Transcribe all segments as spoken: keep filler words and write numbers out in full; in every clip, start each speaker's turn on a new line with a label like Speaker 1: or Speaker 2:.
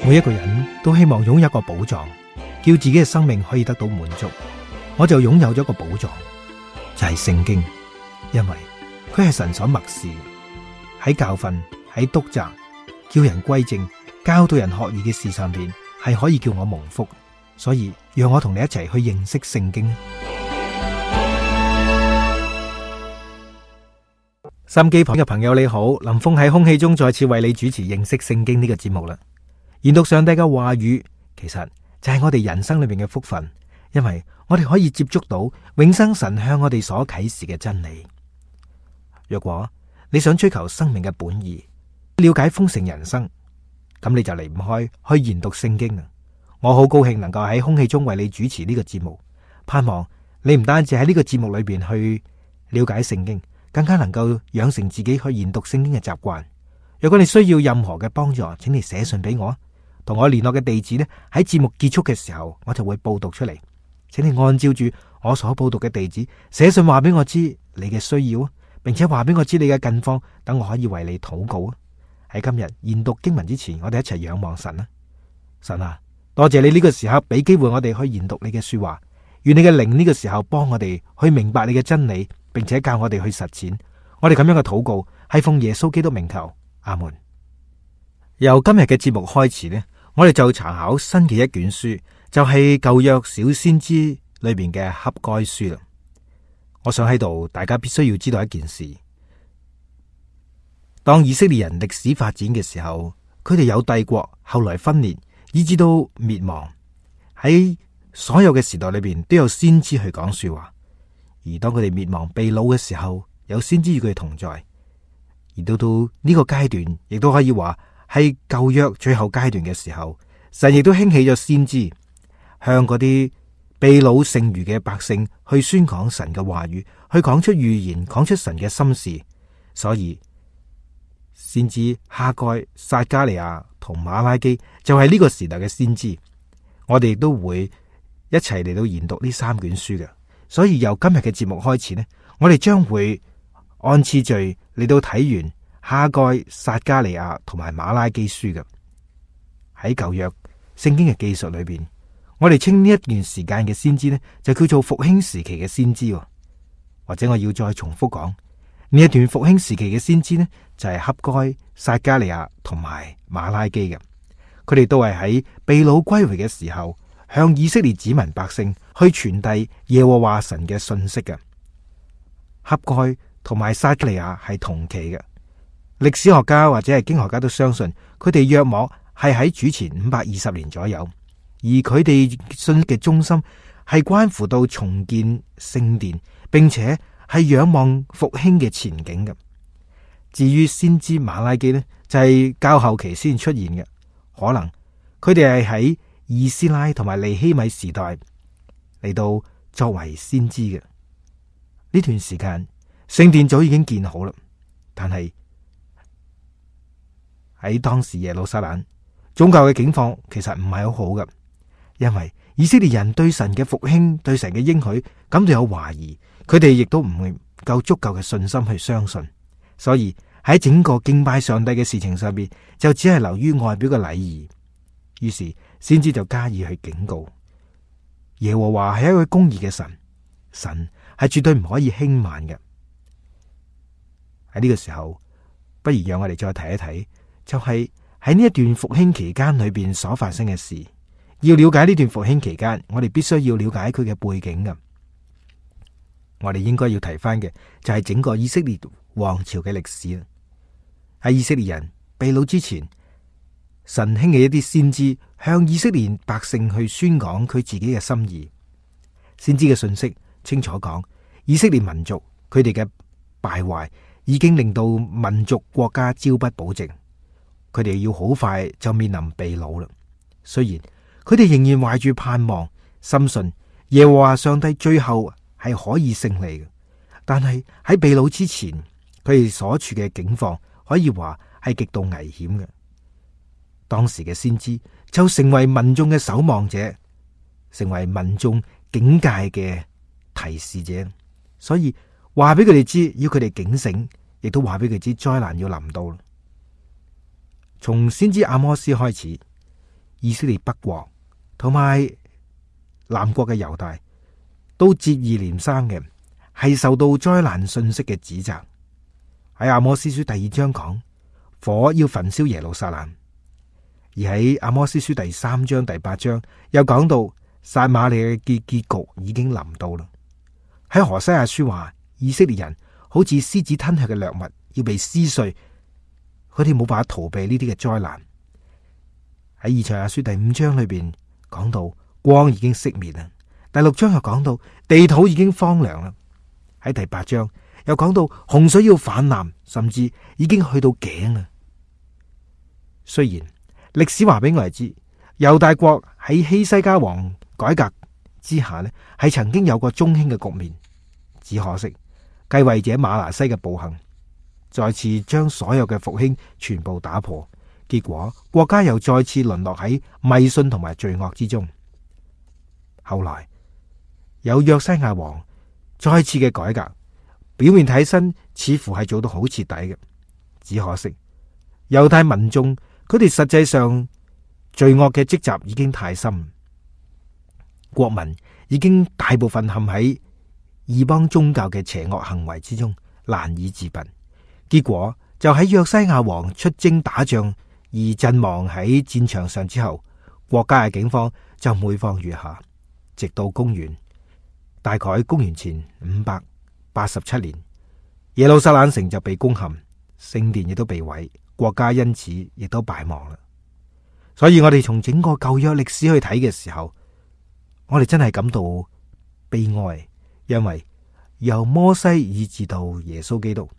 Speaker 1: 每一個人都希望擁有一個寶藏，叫自己嘅生命可以得到滿足。我就擁有咗一個寶藏，就係聖經，因為佢係神所默示，喺教訓、喺督責、叫人歸正、教導人學義嘅事上邊，係可以叫我蒙福。所以讓我同你一齊去認識聖經。收音機旁嘅朋友你好，林峰喺空氣中再次為你主持認識聖經呢個節目啦。研讀上帝嘅話語，其實就係我哋人生裏面嘅福分，因為我哋可以接觸到永生神向我哋所啟示嘅真理。若果你想追求生命嘅本意，了解豐盛人生，咁你就離唔開去研讀聖經啊！我好高興能夠喺空氣中為你主持呢個節目，盼望你唔單止喺呢個節目裏邊去了解聖經，更加能夠養成自己去研讀聖經嘅習慣。如果你需要任何嘅幫助，請你寫信俾我。同我聯絡嘅地址呢，喺節目結束嘅時候，我就會報讀出嚟。請你按照住我所報讀嘅地址寫信話俾我知你嘅需要，並且話俾我知你嘅近況，等我可以為你禱告啊！喺今日研讀經文之前，我哋一齊仰望神啊！神啊，多謝你呢個時候俾機會我哋去研讀你嘅說話，願你嘅靈呢個時候幫我哋去明白你嘅真理，並且教我哋去實踐。我哋咁樣嘅禱告係奉耶穌基督名求，阿門。由今日嘅節目開始呢，我哋就查考新嘅一卷書，就係舊約小先知裏邊嘅哈該書啦。我想喺度，大家必須要知道一件事：當以色列人歷史發展嘅時候，佢哋有帝國，後來分裂，以至到滅亡。喺所有嘅時代裏邊，都有先知去講說話。而當佢哋滅亡被擄嘅時候，有先知與佢哋同在。而到到呢個階段，亦都可以話係舊約最後階段嘅時候，神亦都興起咗先知，向嗰啲被擄剩餘嘅百姓去宣講神嘅話語，去講出預言，講出神嘅心事。所以先知哈該、撒迦利亞同馬拉基就係呢個時代嘅先知。我哋亦都會一齊嚟到研讀呢三卷書嘅。所以由今日嘅節目開始呢，我哋將會按次序嚟到睇完哈該、撒迦利亞同埋馬拉基書嘅。喺舊約聖經嘅記述裏邊，我哋稱呢一段時間嘅先知呢，就叫做復興時期嘅先知。或者我要再重複講，呢一段復興時期嘅先知呢，就係哈該、撒迦利亞同埋馬拉基嘅。佢哋都係喺被擄歸回嘅時候，向以色列子民百姓去傳遞耶和華神嘅信息嘅。哈該同埋撒迦利亞係同期嘅。歷史學家或者係經學家都相信，佢哋約莫係喺主前五百二十年左右，而佢哋信嘅中心係關乎到重建聖殿，並且係仰望復興嘅前景嘅。至於先知馬拉基呢，就係、是、較後期先出現嘅，可能佢哋係喺以斯拉同埋尼希米時代嚟到作為先知嘅。呢段時間聖殿早已經建好啦，但係喺當時耶路撒冷宗教嘅境況其實唔係好好嘅，因為以色列人對神嘅復興、對神嘅應許感到有懷疑，佢哋亦都唔會夠足夠嘅信心去相信，所以喺整個敬拜上帝嘅事情上邊，就只係流於外表嘅禮儀。於是先知就加以去警告，耶和華係一位公義嘅神，神係絕對唔可以輕慢嘅。喺呢個時候，不如讓我哋再睇一睇，就係喺呢一段復興期間裏邊所發生嘅事。要了解呢段復興期間，我哋必須要了解佢嘅背景嘅。我哋應該要提翻嘅就係整個以色列王朝嘅歷史啦。喺以色列人被擄之前，神興起一啲先知向以色列百姓去宣講佢自己嘅心意。先知嘅信息清楚講，以色列民族佢哋嘅敗壞已經令到民族國家朝不保夕，佢哋要好快就面臨被擄啦。雖然佢哋仍然懷住盼望，深信耶和華上帝最後係可以勝利嘅，但係喺被擄之前，佢哋所處嘅境況可以話係極度危險嘅。當時嘅先知就成為民眾嘅守望者，成為民眾警戒嘅提示者，所以話俾佢哋知，要佢哋警醒，亦都話俾佢知災難要臨到。從先知阿摩斯開始，以色列北國同埋南國嘅猶大都接二連三嘅係受到災難信息嘅指責。喺阿摩司書第二章講火要焚燒耶路撒冷，而喺阿摩司書第三章第八章又講到撒馬利亞嘅結局已經臨到啦。喺何西阿書話以色列人好似獅子吞吃嘅掠物，要被撕碎，佢哋冇辦法逃避呢啲嘅災難。喺以賽亞書第五章裏邊講到光已經熄滅啦，第六章又講到地土已經荒涼啦，喺第八章又講到洪水要泛濫，甚至已經去到頸啦。雖然歷史話俾我哋知，猶大國喺希西家王改革之下呢，係曾經有過中興嘅局面，只可惜繼位者馬拿西嘅暴行，再次將所有嘅復興全部打破，結果國家又再次淪落喺迷信同埋罪惡之中。後來有約西亞王再次嘅改革，表面睇身似乎係做到好徹底嘅，只可惜猶太民眾佢哋實際上罪惡嘅積習已經太深，國民已經大部分陷喺異邦宗教嘅邪惡行為之中，難以自拔。結果就喺約西亞王出征打仗而陣亡喺戰場上之後，國家嘅境況就每況愈下，直到公元大概公元前五百八十七年，耶路撒冷城就被攻陷，聖殿亦都被毀，國家因此亦都敗亡啦。所以我哋從整個舊約歷史去睇嘅時候，我哋真係感到悲哀，因為由摩西以至到耶穌基督，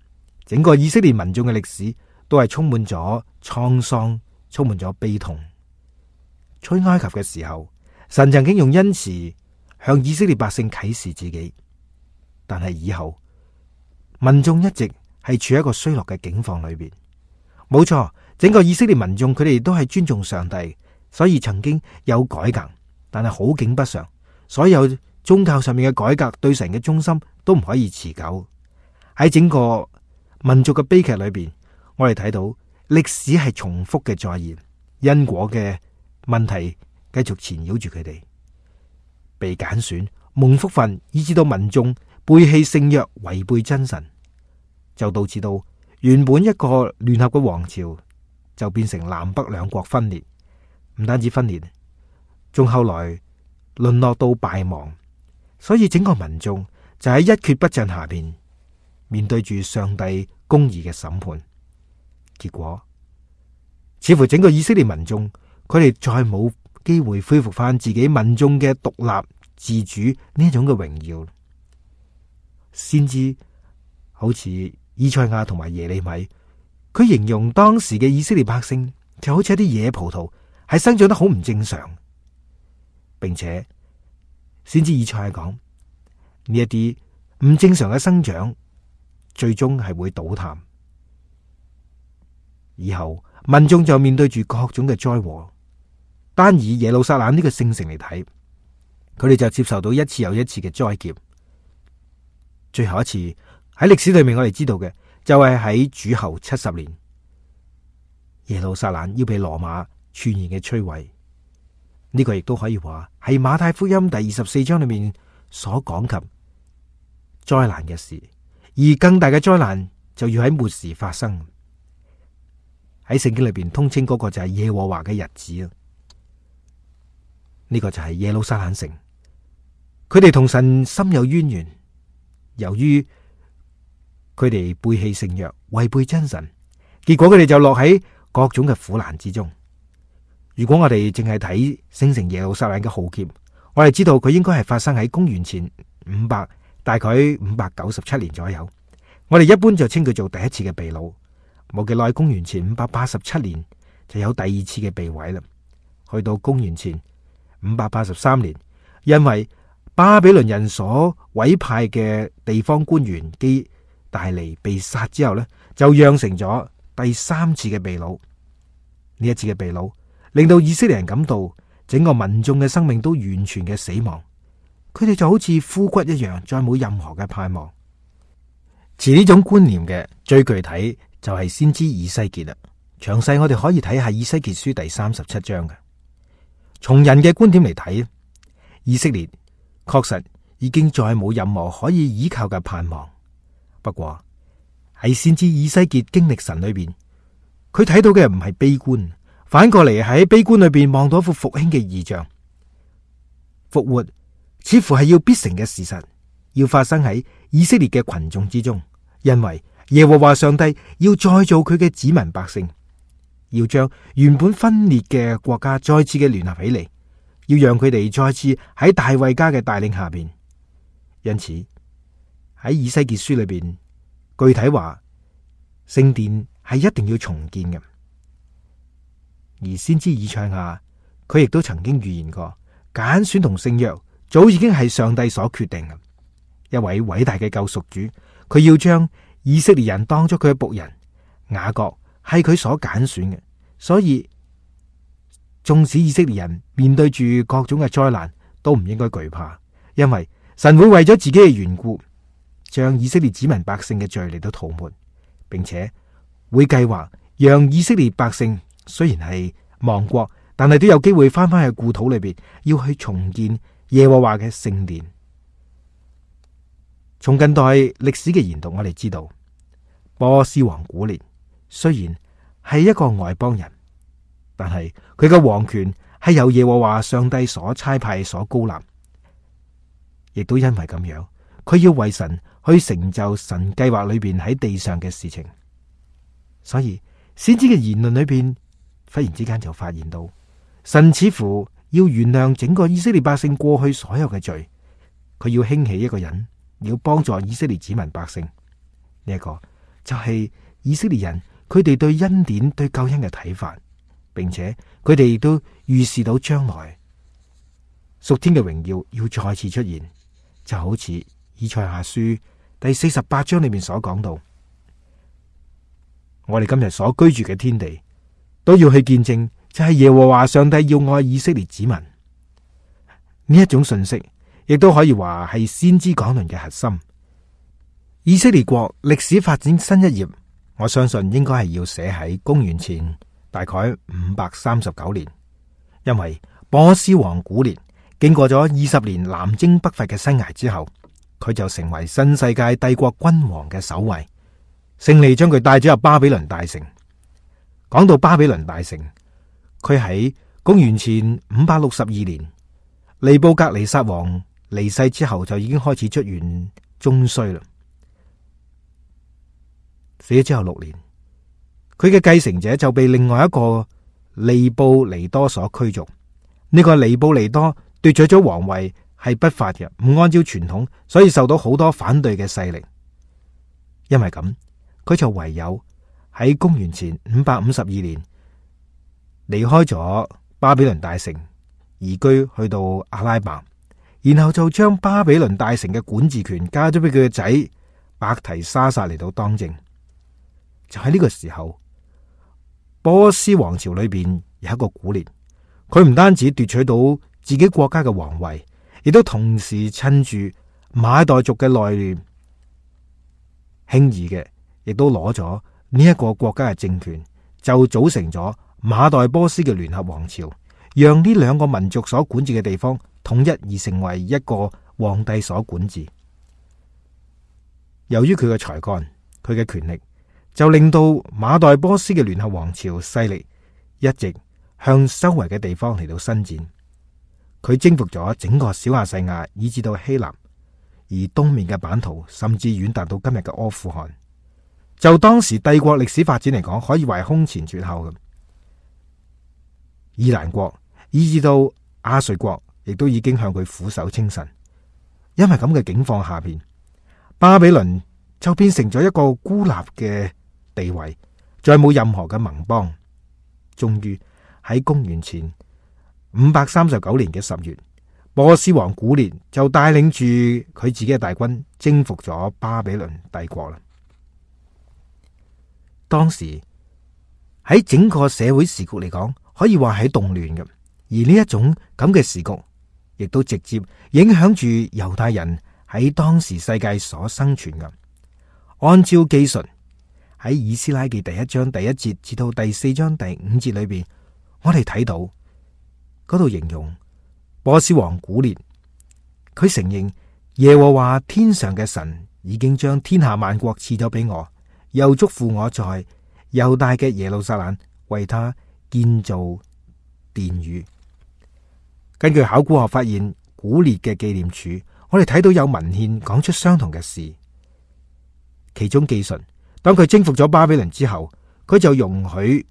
Speaker 1: 整個以色列民眾嘅歷史都係充滿咗滄桑，充滿咗悲痛。出埃及嘅時候，神曾經用恩慈向以色列百姓啟示自己，但係以後民眾一直係處喺一個衰落嘅境況裏邊。冇錯，整個以色列民眾佢哋都係尊重上帝，所以曾經有改革，但係好景不常，所有宗教上面嘅改革對神嘅忠心都唔可以持久。喺整個民族嘅悲劇裏邊，我哋睇到歷史係重複嘅再現，因果嘅問題繼續纏繞住佢哋，被揀選蒙福分，以致到民眾背棄聖約，違背真神，就導致到原本一個聯合嘅王朝就變成南北兩國分裂，唔單止分裂，仲後來淪落到敗亡。所以整個民眾就喺一蹶不振下邊面對住上帝公義嘅審判，結果似乎整個以色列民眾佢哋再冇機會恢復翻自己民眾嘅獨立自主呢一種嘅榮耀。先知好似以賽亞同埋耶利米，佢形容當時嘅以色列百姓就好似一啲野葡萄，係生長得好唔正常，並且先知以賽亞講呢一啲唔正常嘅生長，最終係會倒塌。以後民眾就面對住各種嘅災禍。單以耶路撒冷呢個聖城嚟睇，佢哋就接受到一次又一次嘅災劫。最後一次喺歷史裏面，我哋知道嘅就係喺主後七十年，耶路撒冷要被羅馬全然嘅摧毀。呢個亦都可以話係馬太福音第二十四章裏面所講及災難嘅事，而更大嘅災難就要喺末時發生。喺聖經裏邊通稱嗰個就係耶和華嘅日子啊！呢個就係耶路撒冷城，佢哋同神深有淵源，由於佢哋背棄聖約，違背真神，結果佢哋就落喺各種嘅苦難之中。如果我哋淨係睇聖城耶路撒冷嘅浩劫，我哋知道佢應該係發生喺公元前五百，大概五百九十七年左右。我哋一般就稱佢做第一次嘅被擄。冇幾耐，公元前五百八十七年就有第二次嘅被毀啦。去到公元前五百八十三年，因為巴比倫人所委派嘅地方官員基大利被殺之後呢，就釀成咗第三次嘅被擄。呢一次嘅被擄令到以色列人感到整個民眾嘅生命都完全嘅死亡，佢哋就好似枯骨一樣，再冇任何嘅盼望。持呢種觀念嘅最具體就係先知以西結啦。詳細我哋可以睇下以西結書第三十七章嘅。從人嘅觀點嚟睇，以色列確實已經再冇任何可以依靠嘅盼望。不過喺先知以西結經歷神裏邊，佢睇到嘅唔係悲觀，反過嚟喺悲觀裏邊望到一幅復興嘅異象。復活似乎係要必成嘅事實，要發生喺以色列嘅群眾之中，因為耶和華上帝要再造佢嘅子民百姓，要將原本分裂嘅國家再次嘅聯合起嚟，要讓佢哋再次喺大衛家嘅帶領下邊。因此喺以西結書裏邊，具體話聖殿係一定要重建嘅。而先知以賽亞佢亦都曾經預言過，揀選同聖約早已經係上帝所決定嘅。一位偉大嘅救贖主，佢要將以色列人當作佢嘅僕人，雅各係佢所揀選嘅。所以縱使以色列人面對住各種嘅災難，都唔應該懼怕，因為神會為咗自己嘅緣故，將以色列子民百姓嘅罪嚟到塗抹，並且會計劃讓以色列百姓雖然係亡國，但係都有機會翻返去故土裏邊，要去重建耶和華嘅聖殿。從近代歷史嘅研讀，我哋知道波斯王古列雖然係一個外邦人，但係佢嘅王權係由耶和華上帝所差派所高立，亦都因為咁樣，佢要為神去成就神計劃裏邊喺地上嘅事情。所以先知嘅言論裏邊，忽然之間就發現到神似乎要原諒整個以色列百姓過去所有嘅罪，佢要興起一個人，要幫助以色列子民百姓。呢一個就係以色列人佢哋對恩典對救恩嘅睇法，並且佢哋亦都預示到將來屬天嘅榮耀要再次出現，就好似以賽亞書第四十八章裏面所講到，我哋今日所居住嘅天地都要去見證，就係耶和華上帝要愛以色列子民。呢一種信息亦都可以話係先知講論嘅核心。以色列國歷史發展新一頁，我相信應該係要寫喺公元前大概五百三十九年，因為波斯王古列經過咗二十年南征北伐嘅生涯之後，佢就成為新世界帝國君王嘅首位，勝利將佢帶咗入巴比倫大城。講到巴比倫大城，佢喺公元前五百六十二年，尼布格尼撒王離世之後，就已經開始出現中衰啦。死咗之後六年，佢嘅繼承者就被另外一個尼布尼多所驅逐。呢、這個尼布尼多奪取咗皇位係不法嘅，唔按照傳統，所以受到好多反對嘅勢力。因為咁，佢就唯有喺公元前五百五十二年離開咗巴比倫大城，移居去到阿拉伯，然後就將巴比倫大城嘅管治權交咗俾佢嘅仔伯提沙撒嚟到當政。就喺呢個時候，波斯王朝裏邊有一個古列，佢唔單止奪取到自己國家嘅皇位，亦都同時趁住馬代族嘅內亂，輕易嘅亦都攞咗呢一個國家嘅政權，就組成咗馬代波斯嘅聯合王朝，讓呢兩個民族所管治嘅地方統一而成為一個皇帝所管治。由於佢嘅才幹，佢嘅權力，就令到馬代波斯嘅聯合王朝勢力一直向周圍嘅地方嚟到伸展。佢征服咗整個小亞細亞，以至到希臘，而東面嘅版圖甚至遠達到今日嘅阿富汗。就當時帝國歷史發展嚟講，可以話係空前絕後嘅。伊蘭國以至到亞述國，亦都已經向佢俯首稱臣。因為咁嘅境況下邊，巴比倫就變成咗一個孤立嘅地位，再冇任何嘅盟邦。終於喺公元前五百三十九年嘅十月，波斯王古列就帶領住佢自己嘅大軍征服咗巴比倫帝國啦。當時喺整個社會時局嚟講，可以話係動亂嘅，而呢一種咁嘅時局，亦都直接影響住猶太人喺當時世界所生存嘅。按照記述，喺以斯拉記第一章第一節至到第四章第五節裏邊，我哋睇到嗰度形容波斯王古列，佢承認耶和華天上嘅神已經將天下萬國賜咗俾我，又囑咐我在猶大嘅耶路撒冷為他建造殿宇。根據考古學發現古列嘅紀念柱，我哋睇到有文獻講出相同嘅事。其中記述，當佢征服咗巴比倫之後，佢就容許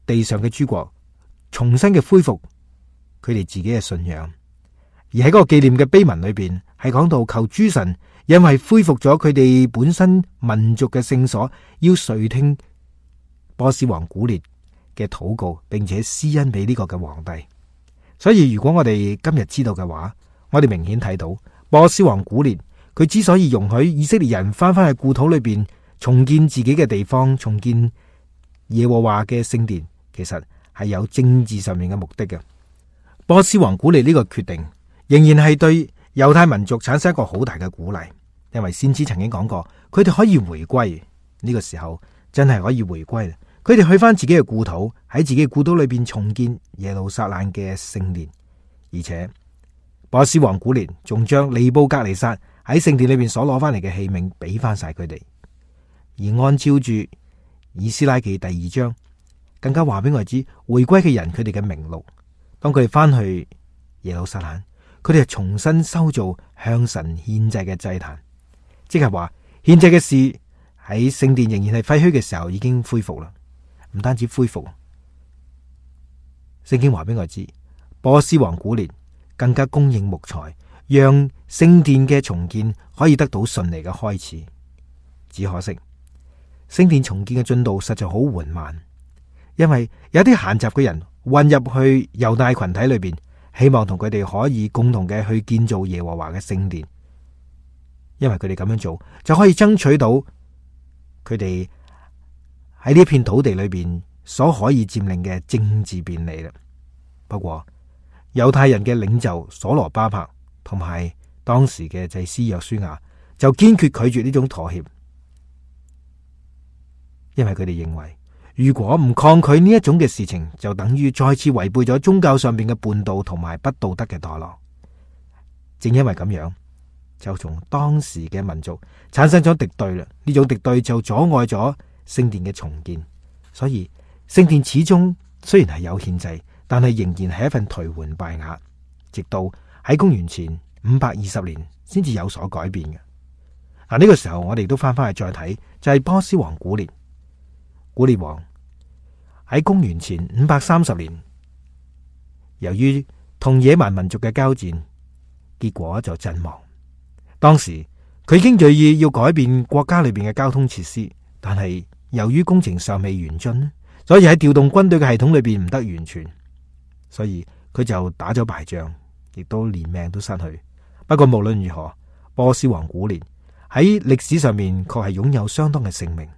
Speaker 1: 地上嘅諸國重新嘅恢復佢哋自己嘅信仰。而喺嗰個紀念嘅碑文裏邊，係講到求諸神因為恢復咗佢哋本身民族嘅聖所，要垂聽波斯王古列嘅禱告，並且施恩俾呢個嘅皇帝。所以如果我哋今日知道嘅話，我哋明顯睇到波斯王古列佢之所以容許以色列人翻返去故土裏邊重建自己嘅地方，重建耶和華嘅聖殿，其實係有政治上面嘅目的嘅。波斯王古列呢個決定仍然係對猶太民族產生一個好大嘅鼓勵，因為先知曾經講過，佢哋可以回歸。呢個時候真係可以回歸，佢哋去翻自己嘅故土，喺自己嘅故土裏邊重建耶路撒冷嘅聖殿。而且波斯王古列仲將尼布甲尼撒喺聖殿裏邊所攞翻嚟嘅器皿俾翻晒佢哋。而按照住以斯拉記第二章，更加話俾我哋知回歸嘅人佢哋嘅名錄。當佢哋翻去耶路撒冷，佢哋係重新修造向神獻祭嘅祭壇，即係話獻祭嘅事喺聖殿仍然係廢墟嘅時候已經恢復啦。唔單止恢復，聖經話俾我知，波斯王古列更加供應木材，讓聖殿嘅重建可以得到順利嘅開始。只可惜聖殿重建嘅進度實在好緩慢，因為有啲閒雜嘅人混入去猶大群體裏邊，希望同佢哋可以共同嘅去建造耶和華嘅聖殿，因為佢哋咁樣做就可以爭取到佢哋喺呢片土地裏邊所可以佔領嘅政治便利啦。不過猶太人嘅領袖所羅巴伯同埋當時嘅祭司約書亞就堅決拒絕呢種妥協，因為佢哋認為如果唔抗拒呢一種嘅事情，就等於再次違背咗宗教上邊嘅叛道同埋不道德嘅墮落。正因為咁樣，就從當時嘅民族產生咗敵對啦。呢種敵對就阻礙咗聖殿嘅重建，所以聖殿始終雖然係有獻祭，但係仍然係一份頹垣敗瓦，直到喺公元前五百二十年先至有所改變嘅。嗱，呢個時候我哋都翻翻去再睇，就係波斯王古列。古列王喺公元前五百三十年，由於同野蠻民族嘅交戰，結果就陣亡。當時佢已經銳意要改變國家裏邊嘅交通設施，但係由於工程尚未完竣，所以喺調動軍隊嘅系統裏邊唔得完全，所以佢就打咗敗仗，亦都連命都失去。不過無論如何，波斯王古列喺歷史上面確係擁有相當嘅盛名。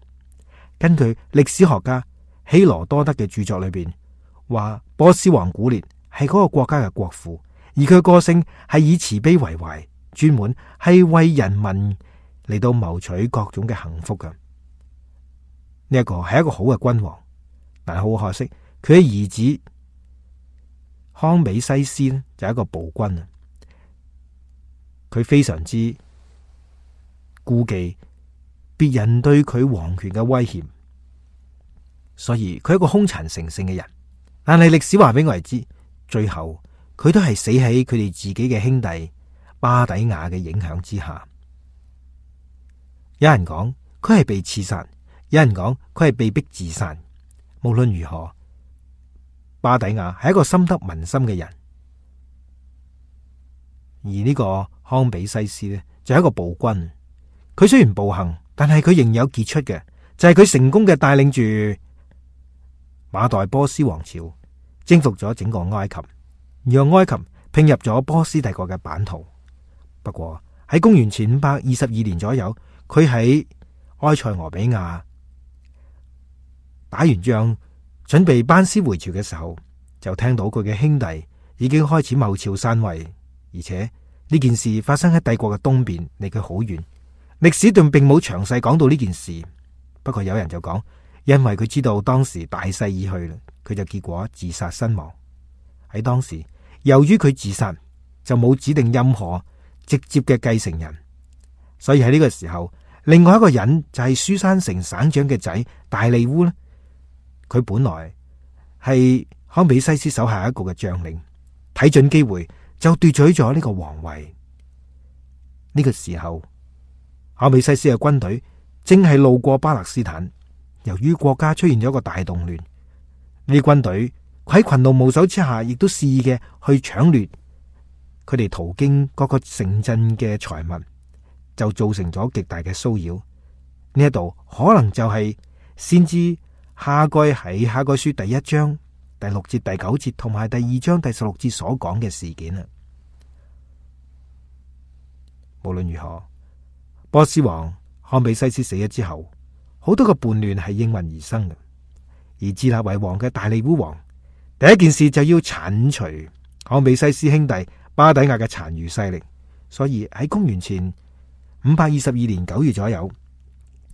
Speaker 1: 根據歷史學家希羅多德嘅著作裏邊話，波斯王古列係嗰個國家嘅國父，而佢嘅個性係以慈悲為懷，專門係為人民嚟到謀取各種嘅幸福嘅。呢一個係一個好嘅君王，但係好可惜，佢嘅兒子康比西斯呢就係一個暴君啊！佢非常之顧忌別人對佢皇權嘅威脅，所以佢係一個兇殘成性嘅人。但係歷史話俾我哋知，最後佢都係死喺佢哋自己嘅兄弟巴底亞嘅影響之下。有人講佢係被刺殺，有人講佢係被逼自殺。無論如何，巴底亞係一個深得民心嘅人，而呢個康比西斯呢，就係一個暴君。佢雖然暴行，但係佢仍有傑出嘅，就係佢成功嘅帶領住馬代波斯王朝征服咗整個埃及，讓埃及併入咗波斯帝國嘅版圖。不過喺公元前五百二十二年左右，佢喺埃塞俄比亞打完仗，準備班師回朝嘅時候，就聽到佢嘅兄弟已經開始謀朝篡位，而且呢件事發生喺帝國嘅東邊，離佢好遠。歷史段並冇詳細講到呢件事，不過有人就講，因為佢知道當時大勢已去啦，佢就結果自殺身亡。喺當時，由於佢自殺，就冇指定任何直接嘅繼承人，所以喺呢個時候，另外一個人就係書珊城省長嘅仔大利烏呢，佢本來係康比西斯手下一個嘅將領，睇準機會就奪取咗呢個皇位。呢個時候，康比西斯嘅軍隊正係路過巴勒斯坦，由於國家出現咗一個大動亂，呢啲軍隊喺群龍無首之下，亦都肆意嘅去搶掠佢哋途經各個城鎮嘅財物，就造成咗極大嘅騷擾。呢一度可能就係先知哈該喺哈該書第一章第六節、第九節同埋第二章第十六節所講嘅事件啊。無論如何，波斯王康比西斯死咗之後，好多個叛亂係應運而生嘅。而自立為王嘅大利烏王，第一件事就要鏟除康比西斯兄弟巴底亞嘅殘餘勢力。所以喺公元前五百二十二年九月左右，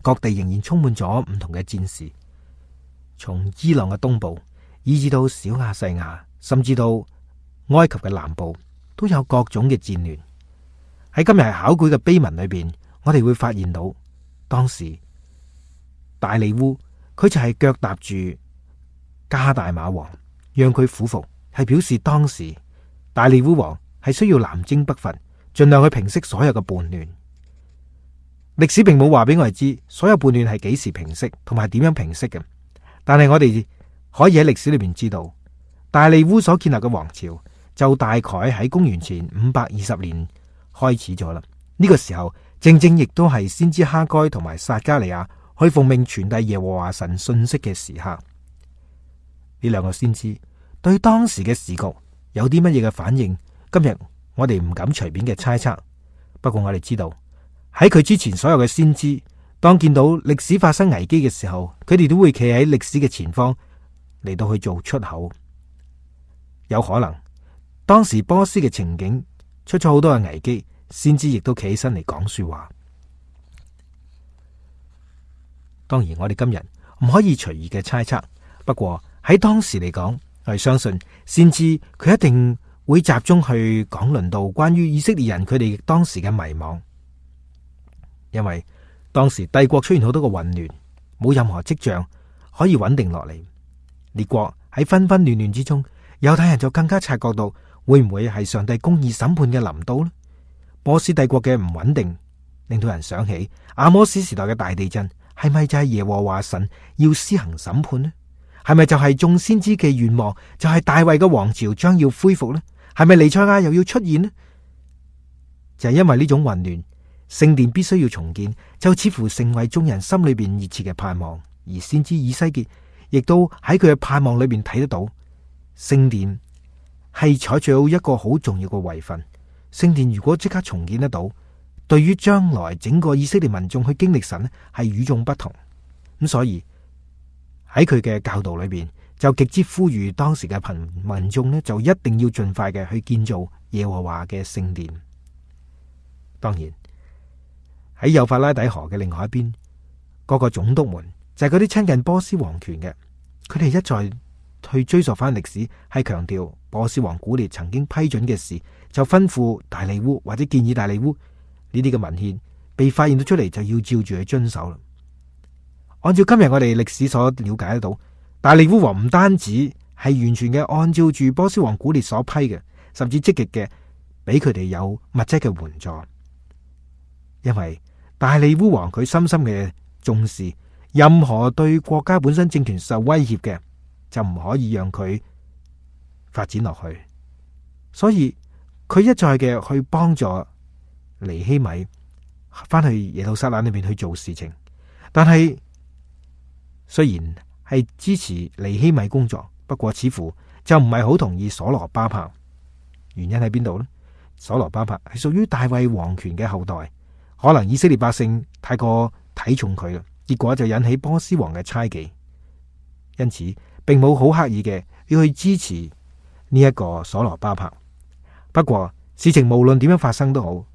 Speaker 1: 各地仍然充滿咗唔同嘅戰事，從伊朗嘅東部，以至到小亞細亞，甚至到埃及嘅南部，都有各種嘅戰亂。喺今日考據嘅碑文裏邊，我哋會發現到當時大利烏佢就係腳踏住加大馬王，讓佢俯伏，係表示當時大利烏王係需要南征北伐，盡量去平息所有嘅叛亂。歷史並冇話俾我哋知所有叛亂係幾時平息，同埋點樣平息嘅。但係我哋可以喺歷史裏邊知道，大利烏所建立嘅王朝就大概喺公元前五百二十年開始咗啦。呢個時候正正亦都係先知哈該同埋撒迦利亞去奉命傳遞耶和華神信息嘅時刻。呢兩個先知對當時嘅時局有啲乜嘢嘅反應，今日我哋唔敢隨便嘅猜測。不過我哋知道喺佢之前所有嘅先知，當見到歷史發生危機嘅時候，佢哋都會企喺歷史嘅前方嚟到去做出口。有可能當時波斯嘅情景出咗好多嘅危機，先知亦都企起身嚟講說話。當然我哋今日唔可以隨意嘅猜測，不過喺當時嚟講，我係相信先知佢一定會集中去講論到關於以色列人佢哋當時嘅迷惘，因為當時帝國出現好多個混亂，冇任何跡象可以穩定落嚟。列國喺紛紛亂亂之中，猶太人就更加察覺到會唔會係上帝公義審判嘅臨到呢？波斯帝國嘅唔穩定令到人想起阿摩斯時代嘅大地震，係咪就係耶和華神要施行審判呢？係咪就係眾先知嘅願望，就係大衛嘅王朝將要恢復呢？係咪彌賽亞又要出現呢？就係因為呢種混亂，聖殿必須要重建，就似乎成為眾人心裏邊熱切嘅盼望。而先知以西結亦都喺佢嘅盼望裏邊睇得到，聖殿係採取到一個好重要嘅位份。聖殿如果即刻重建得到，對於將來整個以色列民眾去經歷神呢，係與眾不同。咁所以喺佢嘅教導裏邊，就極之呼籲當時嘅貧民眾呢，就一定要盡快嘅去建造耶和華嘅聖殿。當然喺幼發拉底河嘅另外一邊，各個總督們就係嗰啲親近波斯王權嘅，佢哋一再去追溯翻歷史，係強調波斯王古列曾經批准嘅事，就吩咐大利烏或者建議大利烏呢啲嘅文獻被發現到出嚟，就要照住去遵守啦。按照今日我哋歷史所了解得到，大利烏王唔單止係完全嘅按照住波斯王古列所批嘅，甚至積極嘅俾佢哋有物質嘅援助。因為大利烏王佢深深嘅重視，任何對國家本身政權受威脅嘅，就唔可以讓佢發展落去。所以佢一再嘅去幫助尼希米翻去耶路撒冷裏邊去做事情。但係雖然係支持尼希米工作，不過似乎就唔係好同意所羅巴伯。原因喺邊度呢？所羅巴伯係屬於大衛王權嘅後代。可能以色列百姓太過睇重佢啦，結果就引起波斯王嘅猜忌，因此並冇好刻意嘅要去支持呢一個所羅巴伯。不過事情無論點樣發生都好，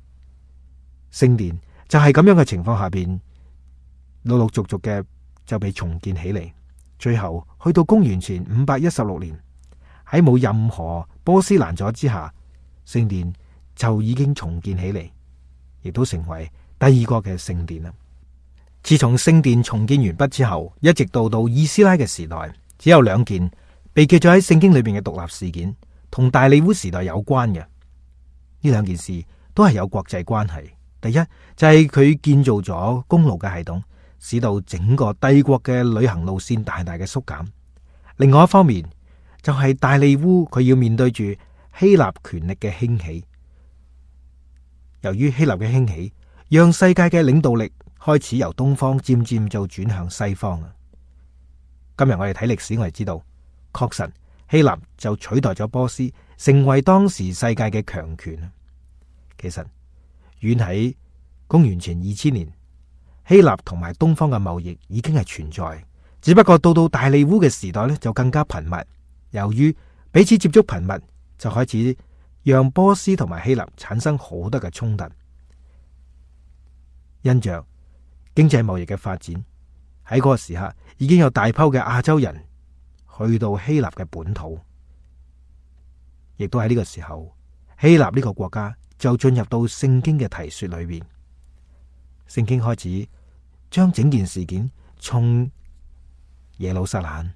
Speaker 1: 聖殿就係咁樣嘅情況下邊，陸陸續續嘅就被重建起嚟。最後去到公元前五百一十六年，喺冇任何波斯攔阻之下，聖殿就已經重建起嚟，亦都成為第二個嘅聖殿啦。自從聖殿重建完畢之後，一直到到以斯拉嘅時代，只有兩件被記咗喺聖經裏邊嘅獨立事件，同大利烏時代有關嘅。呢兩件事都係有國際關係。第一就係佢建造咗公路嘅系統，使到整個帝國嘅旅行路線大大嘅縮減。另外一方面就係大利烏佢要面對住希臘權力嘅興起。由於希臘嘅興起，讓世界嘅領導力開始由東方漸漸就轉向西方啊！今日我哋睇歷史，我哋知道，確實希臘就取代咗波斯，成為當時世界嘅強權。其實遠喺公元前二千年，希臘同埋東方嘅貿易已經係存在，只不過到到大利烏嘅時代咧就更加頻密。由於彼此接觸頻密，就開始讓波斯同埋希臘產生好多嘅衝突。因着經濟貿易嘅發展，喺嗰個時刻已經有大批嘅亞洲人去到希臘嘅本土，亦都喺呢個時候，希臘呢個國家就進入到聖經嘅提說裏邊。聖經開始將整件事件從耶路撒冷、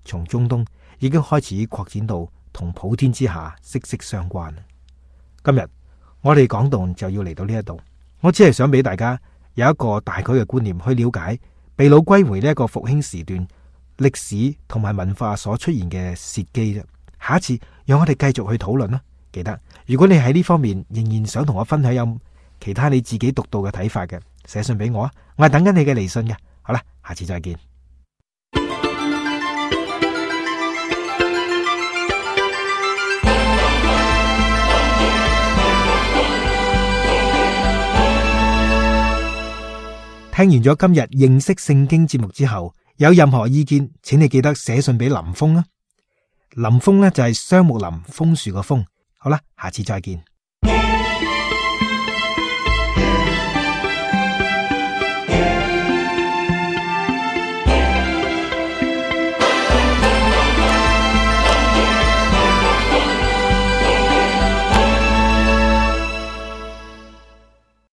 Speaker 1: 從中東已經開始擴展到同普天之下息息相關。今日我哋講道就要嚟到呢一度，我只係想俾大家有一個大概嘅觀念去了解被擄歸回呢一個復興時段歷史同埋文化所出現嘅契機啫。下一次讓我哋繼續去討論啦。記得如果你喺呢方面仍然想同我分享有其他你自己獨到嘅睇法嘅，寫信俾我啊，我係等緊你嘅嚟信嘅。好啦，下次再見。聽完咗今日認識聖經節目之後，有任何意見，請你記得寫信俾林峰啊。林峰呢就係雙木林楓樹個楓。好啦，下次再見。